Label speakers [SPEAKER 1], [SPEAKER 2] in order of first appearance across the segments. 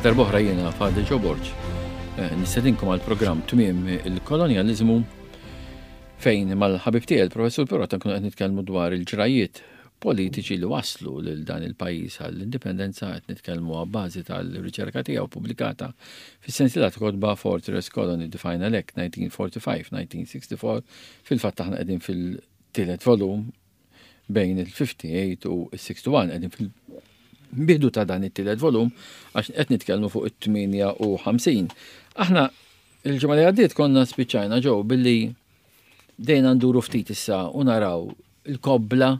[SPEAKER 1] darb'oħra jiena Father Joe Borg. Eh, nistedinkom għal programm Tmiem il-Kolonjaliżmu fejn mal-ħabib tiegħi il-Professur Pirota nkunu qed nitkellmu dwar il-ġrajiet politiċi li waslu lil dan il-pajjiż għall-indipendenza qed nitkellmu għabbażi tal-riċerka tiegħu pubblikata fis-sensiela ta' kotba Fortress Colony The Final Act 1945-1964 fil-fatt aħna qegħdin fil-tielet volum bejn il-58 u il-61 qegħdin fil-bidu ta' dan it-tielet volum għax qed nitkellmu fuq it-58. Aħna il-ġimgħa li għaddiet konna spiċċajna ġew billi bdejna nduru ftit issa u naraw il-kobbla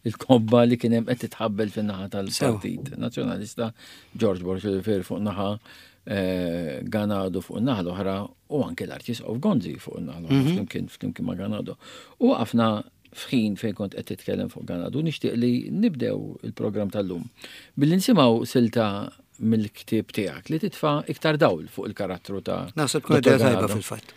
[SPEAKER 1] il-kobba li kien hemm qed titħabbel fin-naħa tal-Partit Nazzjonalista George Borg Olivier fuq naħa eh, Ganado fuq naħa l-oħra u anke l-Arċisqof Gonzi fuq naħa l-oħra mhm. flimkien flimkien ma' Ganado. U waqafna f'ħin fejn kont qed titkellem fuq Ganado nixtieq li nibdew il-programm tal-lum billi nisimgħu silta mill-ktieb tiegħek li titfa' iktar dawl fuq il-karattru ta'
[SPEAKER 2] Naħseb tkun idea tajba fil-fatt.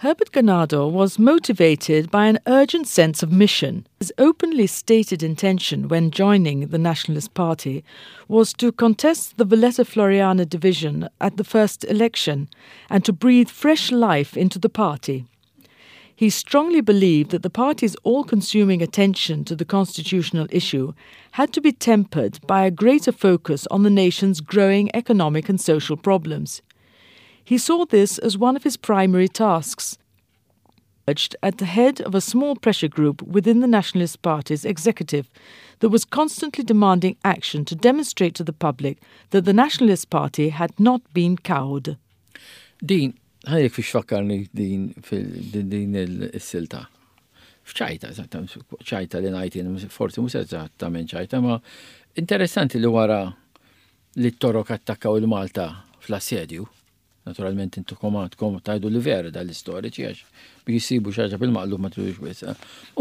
[SPEAKER 3] Herbert Ganado was motivated by an urgent sense of mission. His openly stated intention when joining the Nationalist Party was to contest the Valletta Floriana division at the first election and to breathe fresh life into the party. He strongly believed that the party's all consuming attention to the constitutional issue had to be tempered by a greater focus on the nation's growing economic and social problems. He saw this as one of his primary tasks. At the head of a small pressure group within the Nationalist Party's executive that was constantly demanding action to demonstrate to the public that the Nationalist Party had not been cowed.
[SPEAKER 1] Din, ħa ngħidlek fiex fakkarni din din il-silta. F'ċajta, ċajta li ngħid jien, forsi mhux eżattament ċajta, ma interessanti li wara li t-Torok attakkaw il-Malta fl-assedju, naturalment intukom għandkom tajdu li vera dal-istoriċi għax biex jisibu xaġa bil-maqlub ma tridux wis.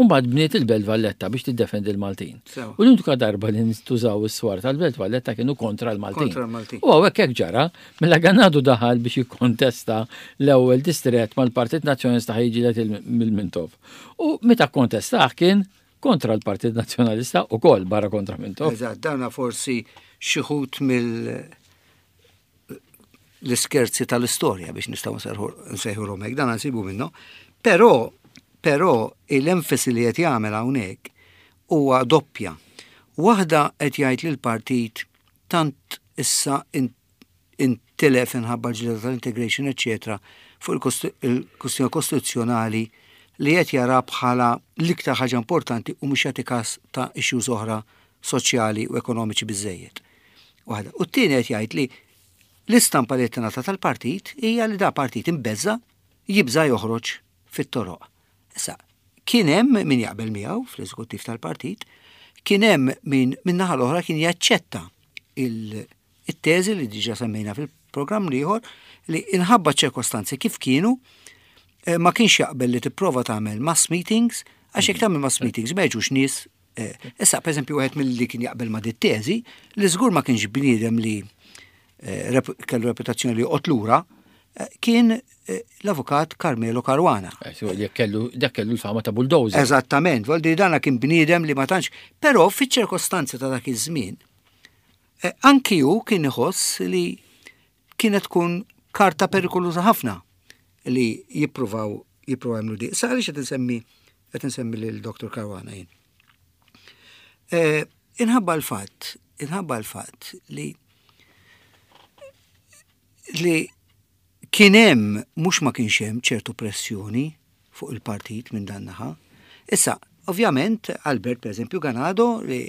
[SPEAKER 1] Umbagħad bniet il-Belt Valletta biex tiddefendi l-Maltin. U l-unika darba li ntużaw is-swar tal-Belt Valletta kienu kontra l-Maltin. U hawnhekk hekk ġara, mela Ganado daħal biex jikkontesta l-ewwel distrett mal-Partit Nazzjonalista ħa jiġġieled il-Mintoff. U meta kkontestah kien kontra l-Partit Nazzjonalista u kol barra kontra Mintoff.
[SPEAKER 2] Eżatt, dana forsi xi wħud mill l-iskerzi tal-istorja biex nistgħu nsejħulhom hekk, dan nsibu minnu. Però però l-enfasi li qed jagħmel hawnhekk huwa doppja. Waħda qed jgħid li l-partit tant issa intilef inħabba l-ġlieda tal-integration, eċċetera, fuq il-kwistjoni kostituzzjonali li qed jara bħala l-iktar ħaġa importanti u mhux jagħti każ ta' issues oħra soċjali u ekonomiċi biżejjed. Waħda. U t-tieni qed jgħid li l-istampa li qed tingħata tal-partit hija li da partit imbeżża' jibża' joħroġ fit-toroq. Issa, kien hemm min jaqbel miegħu fl-eżekuttiv tal-partit, kien hemm min min-naħa l-oħra kien jaċċetta il-teżi li diġà semmejna fil-programm l-ieħor li inħabba ċirkostanzi kif kienu eh, ma kienx jaqbel li tipprova tagħmel mass meetings għax jekk tagħmel mass meetings ma jiġux nies eh, Issa, per eżempju, wieħed mill-li kien jaqbel ma' dit-teżi, li żgur ma kienx bniedem li eh, kellu reputazzjoni li joqgħod lura, kien l-avukat Carmelo Caruana.
[SPEAKER 1] Dak kellu l-fama ta' bulldozer.
[SPEAKER 2] Eżattament, voldi dana kien bniedem li ma tantx, però fiċ-ċirkostanzi ta' dak iż-żmien, anki hu kien iħoss li kienet tkun karta perikoluża ħafna li jippruvaw jippruvaw jagħmlu di. Sa għaliex qed insemmi qed insemmi lil Dr. Caruana jien. Eh, inħabba l-fatt, inħabba l-fatt li li kien hemm mhux ma kienx hemm ċertu pressjoni fuq il-partit minn dan naħa. Issa, ovvjament, Albert, per eżempju, Ganado, li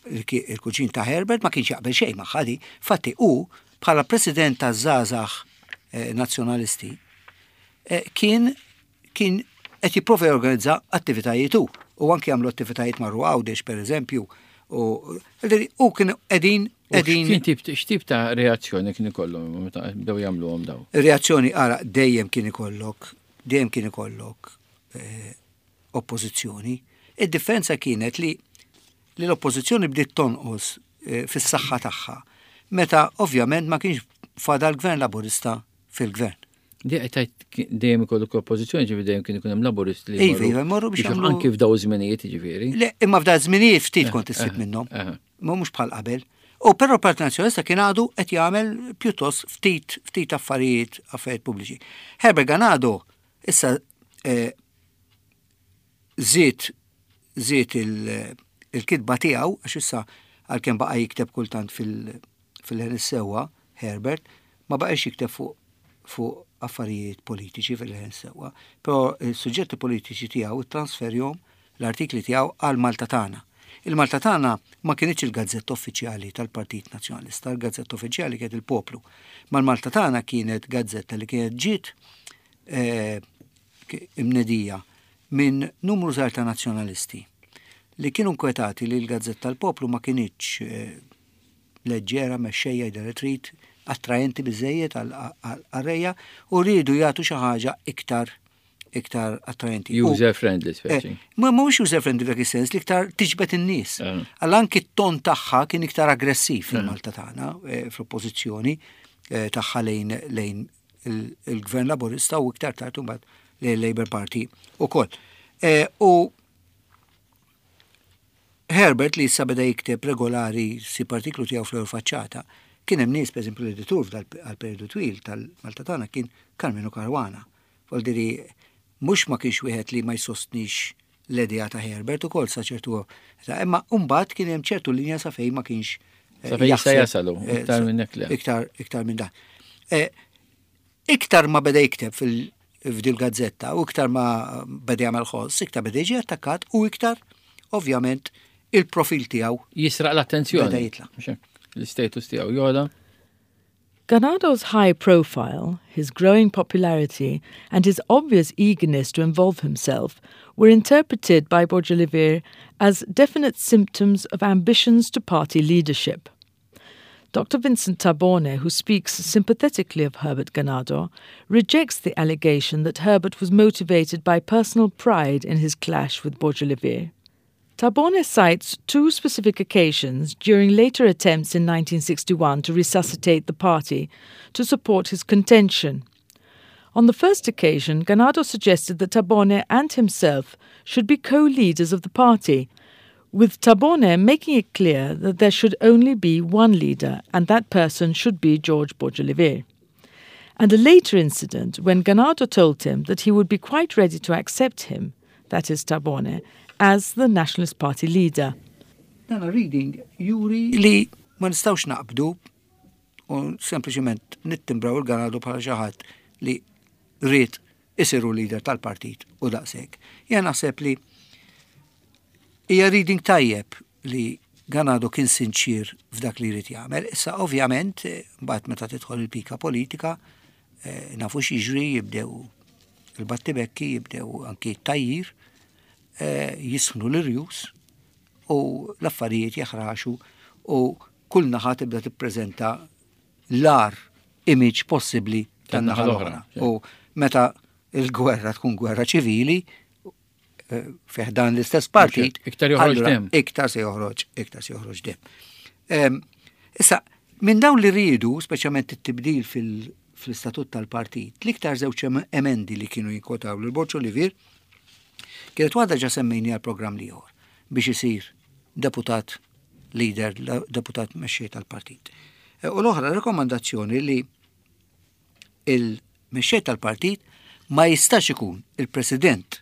[SPEAKER 2] il-kuġin ta' Herbert ma kienx jaqbel xejn magħha di. Fatti hu bħala president ta' żgħażagħ eh, nazzjonalisti eh, kien kien qed jipprova jorganizza attivitajiet hu u anki jagħmlu attivitajiet marru Għawdex pereżempju u u kien qegħdin qegħdin
[SPEAKER 1] Kien tip x'tip ta' reazzjoni kien ikollhom meta bdew jagħmluhom daw?
[SPEAKER 2] Reazzjoni ara dejjem kien ikollok dejjem kien ikollok eh, oppożizzjoni. Id-differenza kienet li li l-oppożizzjoni bdiet tonqos eh, fis-saħħa tagħha meta ovvjament ma kienx fadal gvern laburista fil-gvern.
[SPEAKER 1] Di qed tgħid dejjem ikollok oppożizzjoni ġifieri dejjem kien ikun hemm laburist li.
[SPEAKER 2] Iva, iva, jmorru biex
[SPEAKER 1] jagħmlu. Anki f'daw żminijiet ġifieri.
[SPEAKER 2] Le, imma f'daw żminijiet ftit eh, kont issib eh, minnhom. Eh. Ma mhux bħal qabel. U però l-Partit Nazzjonalista kien għadu qed jagħmel pjuttost ftit ftit affarijiet affarijiet pubbliċi. Herbert Ganado issa eh, żied żied il-kitba tiegħu għax issa għalkemm baqa' jikteb kultant fil-ħin sewwa Herbert, ma baqax jikteb fuq fuq affarijiet politiċi fil-ħin sewwa, però il-suġġetti politiċi tiegħu transferjom l-artikli tiegħu għal Malta Tagħna. Il-Malta Tagħna ma kinitx il-gazzetta uffiċjali tal-Partit Nazzjonalista, il-gazzetta uffiċjali kienet il-Poplu. Ma l-Malta Tagħna kienet gazzetta li kienet ġiet eh, imnedija minn numru żgħar ta' nazzjonalisti li kienu nkwetati li l-gazzetta tal-Poplu ma kinitx eh, leġġera, mexxejja jidher li trid, attraenti biżejjed għal-qarrejja u riedu jagħtu xi ħaġa iktar iktar attraenti.
[SPEAKER 1] User friendly speċi.
[SPEAKER 2] Eh, ma mhux user friendly f'dak is-sens li iktar tiġbed in-nies. Eh. Għal anki t-ton tagħha kien iktar aggressiv fil-Malta tagħna eh, fl-oppożizzjoni tagħha lejn lejn il-Gvern Laburista u iktar tard imbagħad lejn Labour Party ukoll. U Herbert li issa beda jikteb regolari sib artiklu tiegħu fl-ewwel faċċata, kien hemm nies, pereżempju l-editur għal periodu twil tal-Malta tagħna kien Karmenu Caruana. Voldiri mhux ma kienx wieħed li ma jsostnix l-idea ta' Herbert ukoll sa ċertu imma mbagħad kien hemm ċertu linja sa fejn ma kienx
[SPEAKER 1] eh, sa fejn jista' jasalu eh, iktar minn hekk
[SPEAKER 2] Iktar iktar minn dan. Eh, iktar ma beda jikteb fil f'dil gazzetta u iktar ma beda jagħmel ħoss, iktar beda jiġi attakkat u iktar ovvjament il-profil tiegħu
[SPEAKER 1] jisraq l-attenzjoni.
[SPEAKER 2] Beda jitla.
[SPEAKER 1] L-istatus tiegħu jola.
[SPEAKER 3] Ganado's high profile, his growing popularity, and his obvious eagerness to involve himself were interpreted by Borg Olivier as definite symptoms of ambitions to party leadership. Dr. Vincent Tabone, who speaks sympathetically of Herbert Ganado, rejects the allegation that Herbert was motivated by personal pride in his clash with Borg Olivier. Tabone cites two specific occasions during later attempts in 1961 to resuscitate the party to support his contention. On the first occasion, Ganado suggested that Tabone and himself should be co-leaders of the party, with Tabone making it clear that there should only be one leader and that person should be George Borg Olivier. And a later incident when Ganado told him that he would be quite ready to accept him, that is Tabone, as the Nationalist Party leader.
[SPEAKER 2] Dan reading juri li ma nistgħux naqbdu u sempliċement nittimbraw il-Ganado bħala xi ħadd li ried isiru leader tal-partit u daqshekk. Jien naħseb li hija reading tajjeb li Ganado kien sinċir f'dak li jrid jagħmel. Issa ovvjament mbagħad meta tidħol il-pika politika eh, nafu x'jiġri jibdew il-battibekki, jibdew anki t-tajjir, eh, jisħnu l-irjus u l-affarijiet jaħraxu u kull naħa tibda tippreżenta l-agħar image possibbli tan-naħa l-oħra. U meta il-gwerra tkun gwerra ċivili, eh, fih dan l-istess partit,
[SPEAKER 1] iktar joħroġ dem.
[SPEAKER 2] Iktar se joħroġ, iktar se joħroġ dem. Issa, minn dawn li rridu, speċjalment it-tibdil fil-istatut tal-partit, l-iktar żewġ emendi li kienu jinkotaw lil Borg Olivier, kienet waħda ġa semmejni għal programm liħor biex isir deputat leader, deputat mexxej tal-partit. E, u l-oħra rekomandazzjoni li il-mexxej tal-partit ma jistax ikun il-president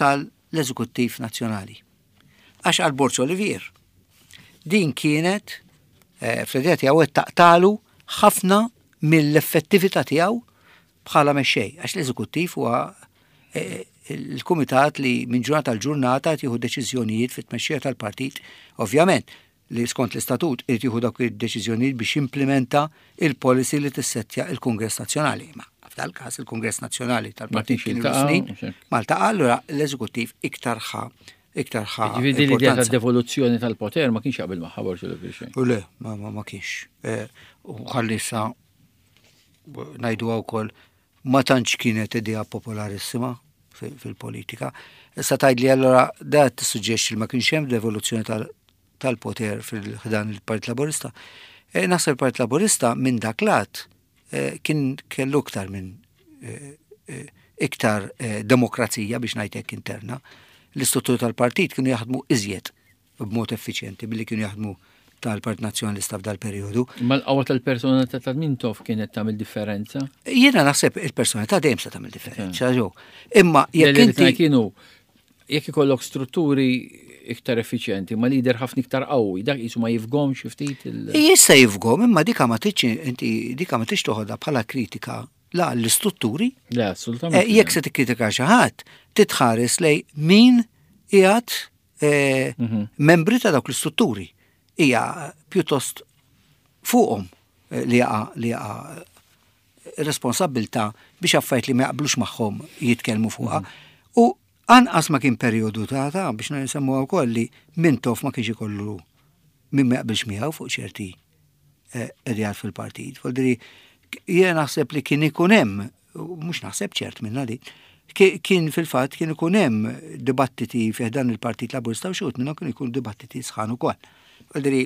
[SPEAKER 2] tal-eżekuttiv nazzjonali. Għax għal Borg Olivier. Din kienet eh, fl-idea tiegħu qed taqtalu ħafna mill-effettività tiegħu bħala mexxej, għax l-eżekuttiv huwa eh, il-kumitat li minn ġurnata għal ġurnata qed jieħu deċiżjonijiet fit-tmexxija tal-partit, ovvjament li skont l-istatut irid jieħu dawk id-deċiżjonijiet biex jimplementa il-policy li tissettja il-Kungress Nazzjonali. Ma f'dal każ il-Kungress Nazzjonali tal-Partit kien snin Malta allura l-eżekuttiv iktar ħa iktar ħa.
[SPEAKER 1] Ġifieri l-idea ta' devoluzzjoni tal-poter ma kienx jaqbel magħha Borg Olivier.
[SPEAKER 2] U le, ma, ma, ma kienx. Eh, u ħalli sa ngħidu wkoll ma tantx kienet idea popolarissima fil-politika. Issa tgħidli allura da tissuġġerixxi li ma kienx hemm devoluzzjoni tal-poter fil-ħdan il-Partit Laburista. E, naħseb il-Partit Laburista minn dak lat e, kien kellu iktar minn e, iktar demokrazija biex ngħidlek interna. L-istruttura tal-partit kienu jaħdmu iżjed b'mod effiċjenti billi kienu jaħdmu tal-Partit Nazzjonalista f'dal-perjodu.
[SPEAKER 1] Ma l-qawwa tal-personalità ta' Mintoff kienet tagħmel differenza?
[SPEAKER 2] Jiena naħseb il-personalità dejjem se tagħmel differenza, ġo. Imma jekk inti
[SPEAKER 1] kienu jekk ikollok strutturi iktar effiċjenti, ma lider ħafna iktar qawwi, dak qisu ma jifgomx ftit il.
[SPEAKER 2] Jista' jifgom, imma dika ma tridx inti dika ma tridx toħodha bħala kritika la l-istrutturi.
[SPEAKER 1] Le, assolutament.
[SPEAKER 2] Eh, jekk se tikkritika xi ħadd, titħares lej min qiegħed eh, mhm. membri ta' dawk l-istrutturi. Hija pjuttost fuqhom eh, li jaqa' li jaqa' responsabbiltà biex affarijiet li ma jaqblux magħhom jitkellmu fuqha. Mhm. U anqas ma kien perjodu ta' ta' biex nsemmu wkoll li Mintoff ma kienx ikollu min ma jaqbilx miegħu fuq ċerti eh, ideat fil-partit. Voldiri, jiena naħseb li kien ikun hemm, mhux naħseb ċert minna li, kien fil-fatt kien ikun hemm dibattiti fih dan il-Partit Laburista u xi minnhom kien ikun dibattiti sħan ukoll. Voldiri,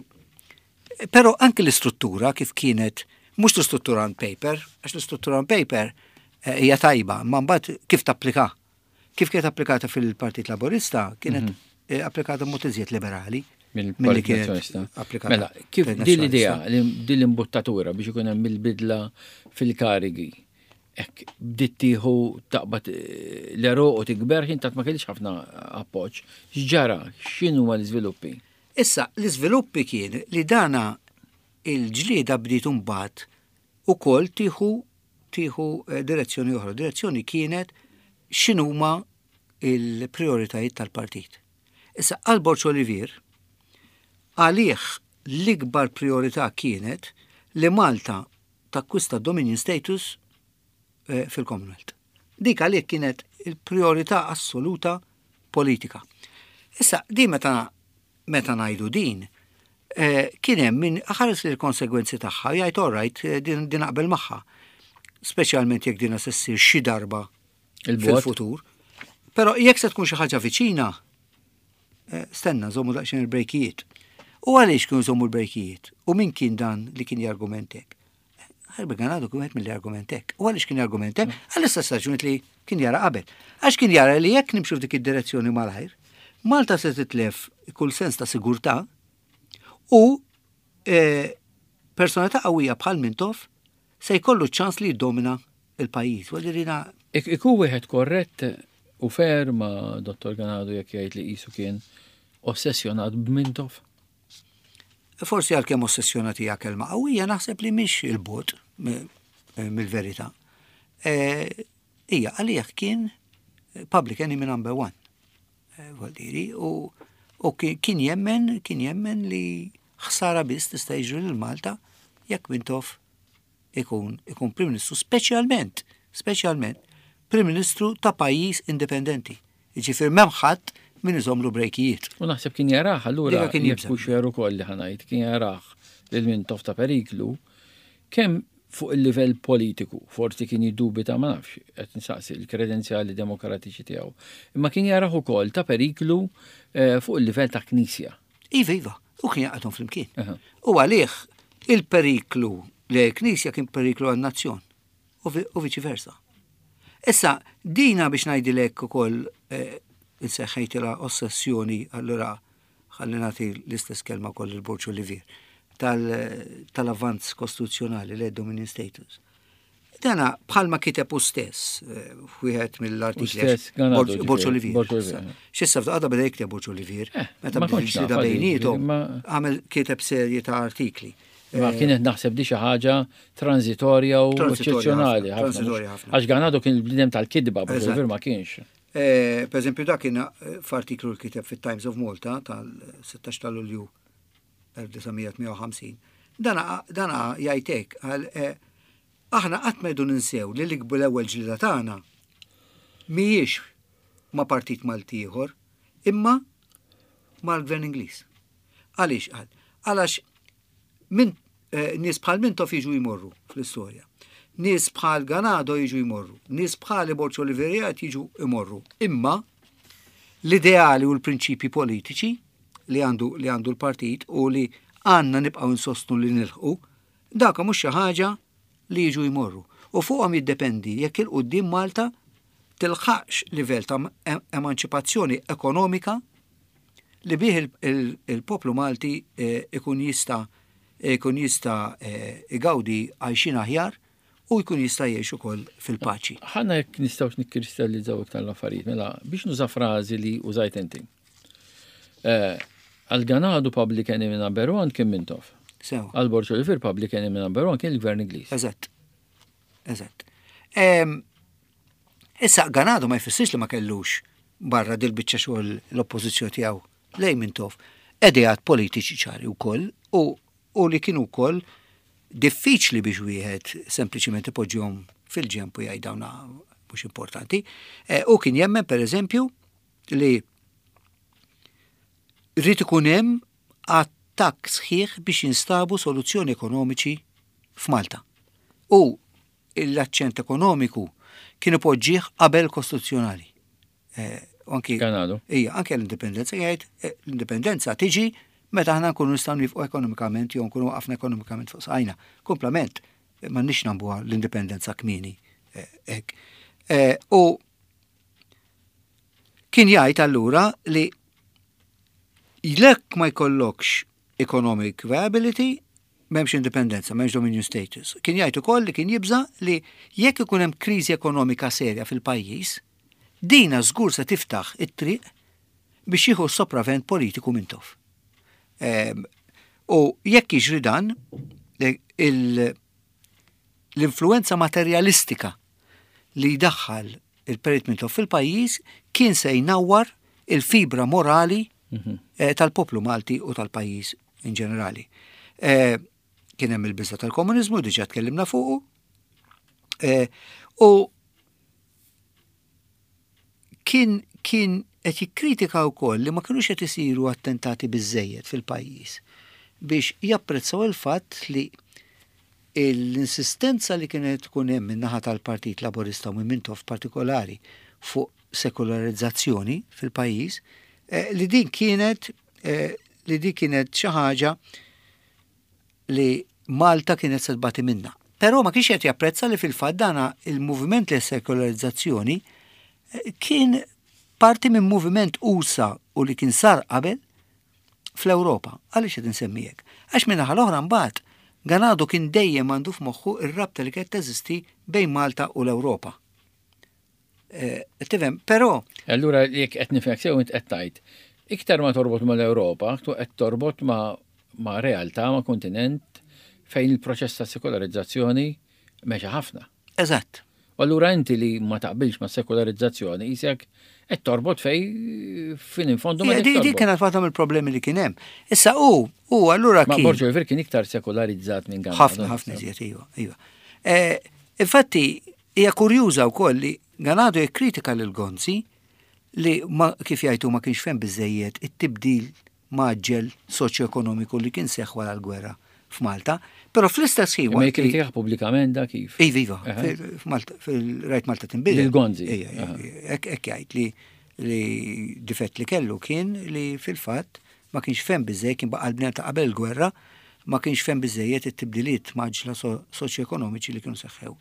[SPEAKER 2] Però anki l-istruttura kif kienet, mhux l-istruttura on paper, għax l-istruttura on paper eh, hija tajba, ma mbagħad kif tapplika. Kif kienet applikata fil-Partit Laburista, kienet mm -hmm. eh, applikata mod iżjed liberali.
[SPEAKER 1] Mill-Partit Nazzjonalista. Mela, kif din l-idea, din l-imbuttatura biex ikun hemm il-bidla fil-karigi, hekk bdiet tieħu taqbad eh, l-eruq u tikber, ħin tat ma kellix ħafna appoġġ. X'ġara? X'inhuma l-iżviluppi?
[SPEAKER 2] Issa, l-iżviluppi kien li dana il-ġlieda bdiet imbagħad ukoll tieħu tieħu eh, direzzjoni oħra. Direzzjoni kienet x'inhuma il-prioritajiet tal-partit. Issa, għal Borġ Olivier, għalih l-ikbar priorità kienet li Malta takkwista dominion status eh, fil-Commonwealth. Dik għalih kienet il-priorità assoluta politika. Issa, di meta meta ngħidu din, eh, kien hemm min ħares li l-konsegwenzi tagħha jgħid all right, eh, din din naqbel magħha. Speċjalment jekk din se ssir xi darba fil-futur. Però jekk se tkun xi ħaġa viċina, eh, stenna żommu daqsxejn il-brejkijiet. U għaliex kienu żommu l-brejkijiet? U min kien dan li kien jargumentek? Herbert Ganado kien wieħed mill argument hekk. U għaliex kien argument hekk? Għall-istess raġuni li kien jara qabel. Għax kien jara li jekk nimxu f'dik id-direzzjoni malajr, Malta se titlef kull sens ta' sigurtà u e, personalità qawwija bħal Mintoff se jkollu ċans li jiddomina il-pajjiż. Għalirina.
[SPEAKER 1] Iku wieħed korrett u fair ma' Dottor Ganado jekk jgħid li qisu kien ossessjonat b'Mintoff?
[SPEAKER 2] Forsi għalkemm ossessjonat hija kelma qawwija naħseb li mhix il-bogħod mill-verità. E, hija għalih kien public enemy number one. E, Voldiri, u, u kien jemmen, kien jemmen li ħsara biss tista' jiġri lil Malta jekk Mintoff ikun ikun Prim Ministru, speċjalment, speċjalment Prim Ministru ta' pajjiż indipendenti. Jiġifieri m'hemm ħadd min iżommlu brejkijiet.
[SPEAKER 1] U naħseb kien jarah allura kien jekk hux veru ukoll li ħa ngħid, kien jarah lil Mintoff ta' periklu kemm fuq il-livell politiku, forsi kien jiddubita ma nafx, qed nsaqsi l-kredenzjali demokratiċi tiegħu, imma kien jarah ukoll ta' periklu eh, fuq il-livell ta' knisja.
[SPEAKER 2] Iva, iva, u kien jaqgħadhom flimkien. U għalih il-periklu li l-Knisja kien periklu għan-nazzjon u viċi versa. Issa, dina biex ngħidilek ukoll eh, inseħħejtilha ossessjoni allura ħalli nagħti l-istess kelma wkoll il-Borġ Olivier tal-avvanz kostituzzjonali l dominion status. Dana bħalma kiteb u stess, eh, wieħed mill-artikli. Borġ Olivier. Xissa f'daqqa beda jikteb Borġ Olivier, eh, meta beda bejnietom, għamel kiteb serje ta' artikli.
[SPEAKER 1] Ma eh, kienet naħseb di xi ħaġa transitorja u eċċezzjonali. Għax Ganado kien il-bniedem tal-kidba, Borġ Olivier ma kienx.
[SPEAKER 2] Per eżempju, dak kien f'artiklu li kiteb fit-Times of Malta tal-16 ta' Lulju 1958. Dana dana jgħid hekk għal eh, aħna qatt ma rridu ninsew li l-ikbu l-ewwel ġlieda tagħna mhijiex ma' partit Malti ieħor, imma mal-Gvern Ingliż. Għaliex qal? Għalax min eh, nies bħal Mintoff jiġu jmorru fl-istorja. Nies bħal Ganado jiġu jmorru. Nies bħal Borċ Oliveria jiġu jmorru. Imma l-ideali u l-prinċipji politiċi li għandu li għandu l-partit u li għandna nibqgħu nsostnu li nilħqu, dak mhux xi ħaġa li jiġu jmorru. U fuqhom jiddependi jekk 'il quddiem Malta tilħaqx livell ta' emanċipazzjoni ekonomika li bih il-poplu Malti eh, ikun jista' ikun jista' eh, igawdi għajxin aħjar u jkun jista' jgħix ukoll fil-paċi.
[SPEAKER 1] Ħana jekk nistgħux nikkristallizzaw iktar l-affarijiet, mela biex nuża frażi li użajt inti. Eh, għal Ganado Public Enemy Number One kien Mintoff.
[SPEAKER 2] Sew.
[SPEAKER 1] Għal Borġ Olivier Public Enemy Number One kien il-Gvern Ingliż.
[SPEAKER 2] Eżatt. Eżatt. Issa Ganado ma jfissirx li ma kellux barra dil-biċċa xogħol l-oppożizzjoni tiegħu lejn Mintoff ideat politiċi ċari wkoll u, u li kienu wkoll diffiċli biex wieħed sempliċiment ipoġġihom fil-ġemp u jgħid dawn mhux importanti. E, u kien jemmen pereżempju li rrid ikun hemm attakk sħiħ biex jinstabu soluzzjoni ekonomiċi f'Malta. U l-aċċent ekonomiku kien ipoġġih qabel kostituzzjonali. Eh, anki
[SPEAKER 1] Kanadu.
[SPEAKER 2] Ija, anke l-indipendenza jgħid eh, l-indipendenza tiġi meta aħna nkunu nistgħu nifqu ekonomikament jew nkunu waqafna ekonomikament fuq saqajna. Komplament, eh, m'għandniex nambuha l-indipendenza kmieni hekk. U kien jgħid allura li jekk ma jkollokx economic viability, m'hemmx indipendenza, m'hemmx dominion status. Kien jgħid ukoll li kien jibża li jekk ikun hemm kriżi ekonomika serja fil-pajjiż, dina żgur se tiftaħ it-triq biex jieħu sopravvent politiku Mintoff. U jekk jiġri dan, l-influenza materjalistika li jdaħħal il-Perit Mintoff fil-pajjiż kien se jnawwar il-fibra morali mhm. tal-poplu Malti u tal-pajjiż in ġenerali. Eh, kien hemm il-biża tal-komuniżmu, diġà tkellimna fuqu. Eh, u kien kien qed jikkritika wkoll li ma kinux qed isiru attentati biżejjed fil-pajjiż biex japprezzaw il-fatt li l-insistenza li kienet tkun hemm min-naħa tal-Partit Laburista u minn Mintoff partikolari fuq sekolarizzazzjoni fil-pajjiż, eh, li din kienet eh, li din kienet xi ħaġa li Malta kienet se tbati minnha. Però ma kienx qed japprezza li fil-fatt dana il-moviment li sekolarizzazzjoni eh, kien parti minn moviment usa u li kien sar qabel fl-Ewropa. Għaliex qed insemmi hekk? Għax minn naħa l-oħra mbagħad Ganado kien dejjem għandu f'moħħu ir-rabta li kienet teżisti bejn Malta u l-Ewropa. Eh, tifhem, però.
[SPEAKER 1] Allura jekk qed nifhmek sew int qed tgħid, iktar ma torbot mal-Ewropa, qed torbot ma' ma' realtà, ma' kontinent fejn il-proċess ta' sekolarizzazzjoni mexa ħafna.
[SPEAKER 2] Eżatt.
[SPEAKER 1] U allura inti li ma taqbilx ma' sekolarizzazzjoni isek qed torbot fej fin infondu ma'
[SPEAKER 2] Di kienet waħda mill-problemi li kien hemm. Issa u u allura
[SPEAKER 1] kien. Ma Borġo Oliver kien iktar sekolarizzat minn
[SPEAKER 2] Ganado. Ħafna ħafna iżjed iva, iva. Eh, infatti Hija kurjuża wkoll li Ganado jikkritika lil Gonzi li ma, kif jgħid hu ma kienx fehem biżżejjed it-tibdil mgħaġġel soċjoekonomiku li kien seħħ wara l-gwerra f'Malta, però fl-istess ħin
[SPEAKER 1] Imma jikkritikah pubblikament da kif?
[SPEAKER 2] Iva, iva, f'Malta, fil-Rajt Malta Tinbidel.
[SPEAKER 1] Lil Gonzi.
[SPEAKER 2] Hekk jgħid li li difett li kellu kien li fil-fatt ma kienx fehem biżżejjed, kien baqa' l-bniedem ta' qabel il-gwerra, ma kienx fehem biżżejjed it-tibdiliet mgħaġġla soċjoekonomiċi li kienu seħħew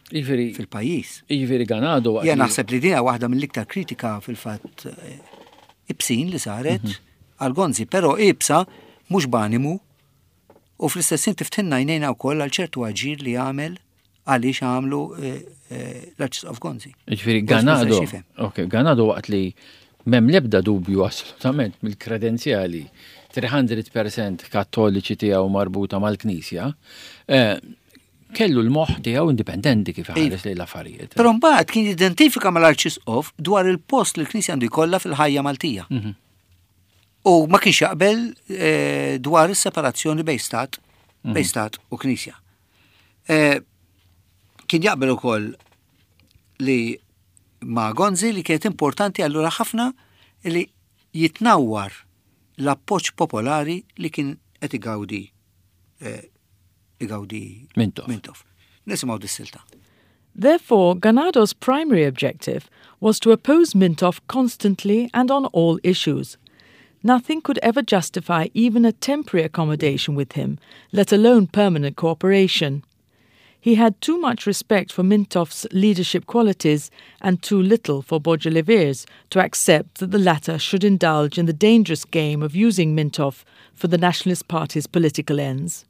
[SPEAKER 2] fil-pajjiż.
[SPEAKER 1] Jiġifieri Ganado
[SPEAKER 2] waqt. Jien naħseb li din hija waħda mill-iktar kritika fil-fatt eh, ibsin li saret mhm. għal Gonzi, però ibsa mhux b'animu u fl-istess ħin tiftħilna għajnejna wkoll għal ċertu aġir li għamel għaliex għamlu eh, eh, l-Arċisqof Gonzi.
[SPEAKER 1] Ġifieri Ganado. Ok, Ganado waqt li m'hemm l-ebda dubju assolutament mill-kredenzjali 300% kattoliċi tiegħu marbuta mal-Knisja, eh, kellu l-moħħ tiegħu indipendenti kif ħares lejn l-affarijiet.
[SPEAKER 2] Però mbagħad kien jidentifika mal-Arċisqof dwar il-post li l-Knisja għandu jkollha fil-ħajja Maltija. Mhm. U ma kienx jaqbel dwar is-separazzjoni bejn stat, bejn mhm. stat u Knisja. Eh, kien jaqbel ukoll li ma' Gonzi li kienet importanti allura ħafna li jitnawwar l-appoġġ popolari li kien qed igawdi eh, igawdi
[SPEAKER 1] Mintoff.
[SPEAKER 2] Mintoff. Nisimgħu dis-silta.
[SPEAKER 3] Therefore, Ganado's primary objective was to oppose Mintoff constantly and on all issues. Nothing could ever justify even a temporary accommodation with him, let alone permanent cooperation. He had too much respect for Mintoff's leadership qualities and too little for Borg Olivier's to accept that the latter should indulge in the dangerous game of using Mintoff for the Nationalist Party's political ends.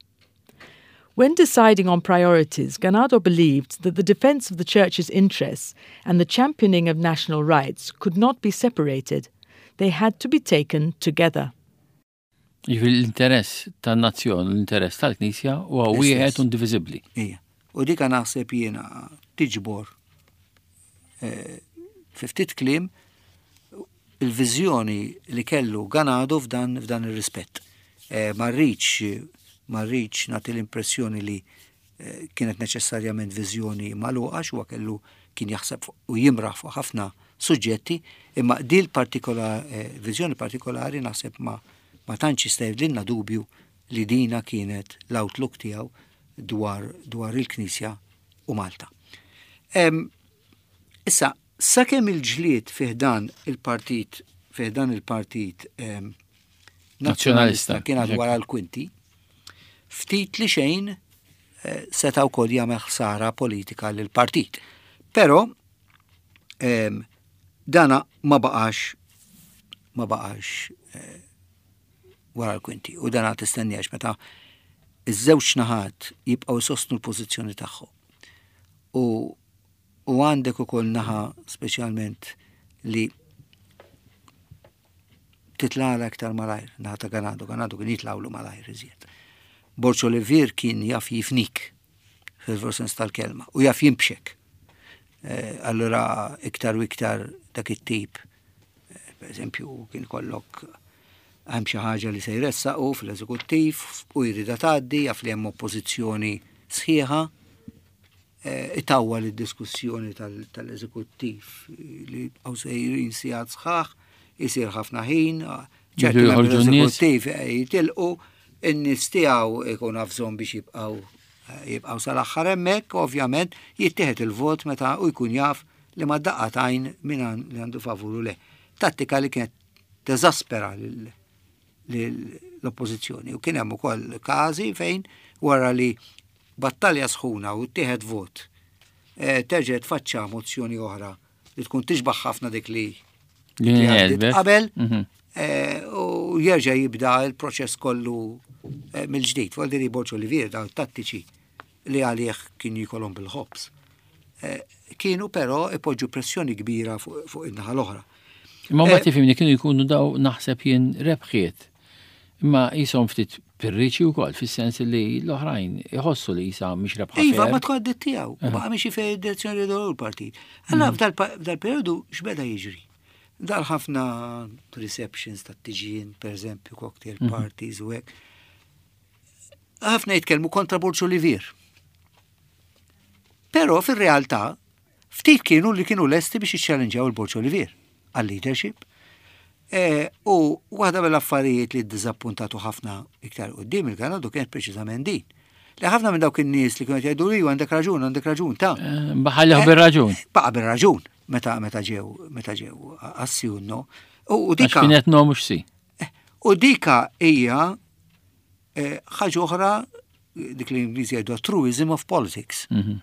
[SPEAKER 3] When deciding on priorities, Ganado believed that the defense of the Church's interests and the championing of national rights could not be separated. They had to be taken together.
[SPEAKER 1] Jiġifieri l-interess tan-nazzjon u l-interess tal-Knisja huwa wieħed u indiviżibbli.
[SPEAKER 2] Ija. U dika naħseb jiena tiġbor eh, fi ftit kliem il-viżjoni li kellu Ganado f'dan f'dan ir-rispett. Eh, ma rridx ma rridx nagħti l-impressjoni li eh, kienet neċessarjament viżjoni magħluqa huwa kellu kien jaħseb u jimraħ fuq ħafna suġġetti, imma dil partikola eh, viżjoni partikolari naħseb ma ma tantx jista' jibdilna dubju li dina kienet l-outlook tiegħu dwar dwar il-Knisja u Malta. Issa, sakemm il-ġlied fih dan il-partit fih dan il-partit
[SPEAKER 1] Nazzjonalista
[SPEAKER 2] kien għad wara l-kwinti, ftit li xejn eh, seta' wkoll jagħmel ħsara politika lil partit. Però dana ma baqax ma baqax eh, wara l-kwinti u dana tistenniex meta iż-żewġ naħat jibqgħu jsostnu l-pożizzjoni tagħhom. U u għandek ukoll naħa speċjalment li titlala iktar malajr, naħa ta' Ganado, Ganado kien jitlawlu malajr iżjed. Borċ Olivier kien jaf jifnik fil-veru sens tal-kelma u jaf jimbxek. Eh, allura iktar u iktar dak it-tip, eh, per eżempju, kien kollok hemm xi ħaġa li se jressaqu fl-eżekuttiv u jrida tgħaddi, jaf li hemm oppożizzjoni sħiħa, eh, itawwal id-diskussjoni tal-eżekuttiv li għaw sejrin sigħat sħaħ, isir ħafna ħin, ċerti membri eżekuttiv jitilqu, in-nies tiegħu ikun bżonn biex jibqgħu jibqgħu sal-aħħar hemmhekk, ovvjament jittieħed il-vot meta u jkun jaf li ma daqqa t'għajn min li għandu favur u le. Tattika li kienet teżaspera l-oppożizzjoni. U kien hemm ukoll każi fejn wara li battalja sħuna u ttieħed vot, eh, terġa' tfaċċa mozzjoni oħra li tkun tixbaħ ħafna dik li qabel mhm. eh, u jerġa' jibda l-proċess kollu eh, mill-ġdid. Voldi li Borġ Olivier dawn tattiċi li għalih kien jikolhom bil-ħobż. Eh, kienu però ipoġġu pressjoni kbira fuq in-naħa l-oħra.
[SPEAKER 1] Imma mbagħad tifhimni kienu jkunu daw naħseb jien rebħiet. Imma jisom ftit pirriċi wkoll fis-sens li l-oħrajn iħossu li jisa mhix rebħa.
[SPEAKER 2] Iva, ma tkun għaddit tiegħu, u baqa' miexi fejn id-direzzjoni li l-partit. Allora mhm. f'dal-perjodu x'beda jiġri? Dal ħafna receptions ta' tiġin, per eżempju, cocktail mhm. parties u hekk. Ħafna jitkellmu kontra Borġ Olivier. Però fir-realtà ftit kienu li kienu lesti biex jiċċellenġjaw il-Borġ Olivier għal-leadership. E, u waħda mill-affarijiet li ddiżappuntatu ħafna iktar qudiem il-Ganadu kienet preċiżament din. Li ħafna minn dawk in-nies li kienu jgħidu li għandek raġun, għandek raġun ta'
[SPEAKER 1] eh, Baħalli eh, bir-raġun.
[SPEAKER 2] Baqa' bir-raġun meta meta ġew meta ġew assjunno.
[SPEAKER 1] U dika kienet no mhux si.
[SPEAKER 2] Eh, u dika hija ħaġa oħra dik li l-Ingliżi jgħidu truism of politics. Mhm.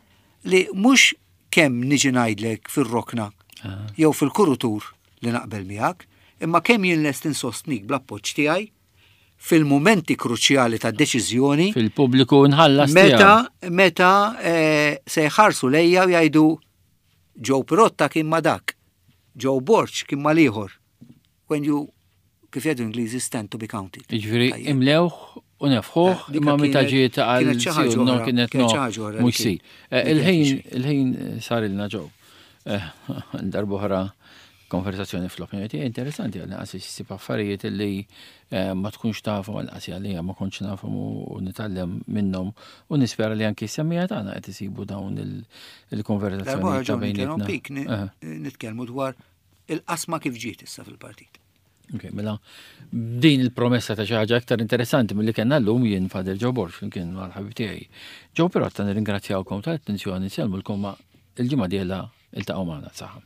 [SPEAKER 2] Li mhux kemm niġi ngħidlek fir-rokna ah. jew fil-kurutur li naqbel miegħek, imma kemm jien lest insostnik bl-appoġġ tiegħi fil-momenti kruċjali ta' deċiżjoni.
[SPEAKER 1] Fil-pubbliku nħallas.
[SPEAKER 2] Meta, meta eh, se jħarsu lejja u jgħidu Joe Pirotta kien ma dak, Joe Borg kien ma liħor. When you kif jgħidu Ingliżi stand to be counted.
[SPEAKER 1] Jiġifieri imlewh u nefħuh eh, imma meta ġiet għal no kienet no mhux si. Eh, il-ħin il-ħin sar ilna ġew. Eh, darb'oħra konversazzjoni fl-opinjoni tiegħi interessanti għal naqas issib affarijiet li ma tkunx tafhom għal qasi għalija ma kontx nafhom u nitgħallem minnhom u nispera li anki semmija tagħna qed isibu dawn il-konversazzjoni
[SPEAKER 2] ta' bejnietna. Nitkellmu dwar il-qasma kif ġiet issa fil-partit.
[SPEAKER 1] Ok, mela din il-promessa ta' xi ħaġa aktar interessanti milli kellna llum jien Fader Joe Borg flimkien mal-ħabib tiegħi. Joe Pirotta nirringrazzjawkom tal-attenzjoni, nsellmulkom ma' il-ġimgħa dieħla iltaqgħu magħna saħħa.